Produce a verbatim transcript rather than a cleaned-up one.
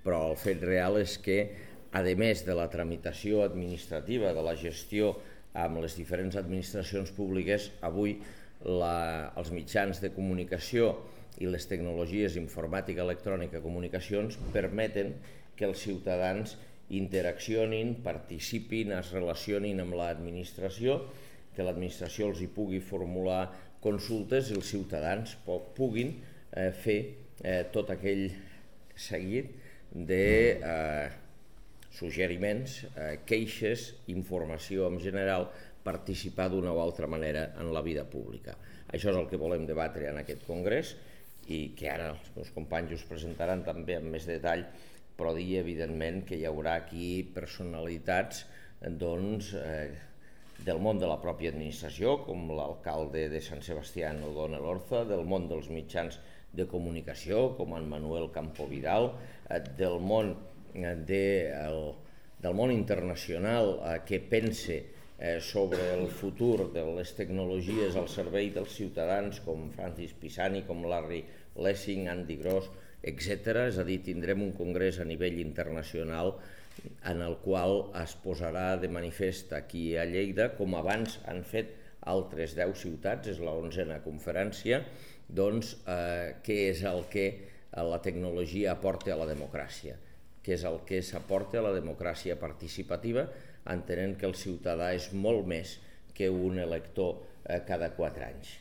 però el fet real és que, a més de la tramitació administrativa, de la gestió amb les diferents administracions públiques, avui la, els mitjans de comunicació i les tecnologies informàtica, electrònica, comunicacions permeten que els ciutadans interaccionin, participin, es relacionin amb l'administració, que l'administració els hi pugui formular consultes i els ciutadans puguin eh, fer eh, tot aquell seguit de eh, suggeriments, eh, queixes, informació en general, participar d'una o altra manera en la vida pública. Això és el que volem debatre en aquest congrés i que ara els meus companys us presentaran també amb més detall, però dir evidentment que hi haurà aquí personalitats doncs, eh, del món de la pròpia administració, com l'alcalde de Sant Sebastià, O'Donnell Orza, del món dels mitjans de comunicació, com en Manuel Campo Vidal, eh, del món de, el, del món internacional eh, que pense eh, sobre el futur de les tecnologies al servei dels ciutadans, com Francis Pisani, com Larry Lessig, Andy Gross, etcètera. És a dir, tindrem un congrés a nivell internacional en el qual es posarà de manifest aquí a Lleida, com abans han fet altres deu ciutats, és l'onzena conferència, doncs eh, què és el que la tecnologia aporta a la democràcia, què és el que s'aporta a la democràcia participativa, entenent que el ciutadà és molt més que un elector eh, cada quatre anys.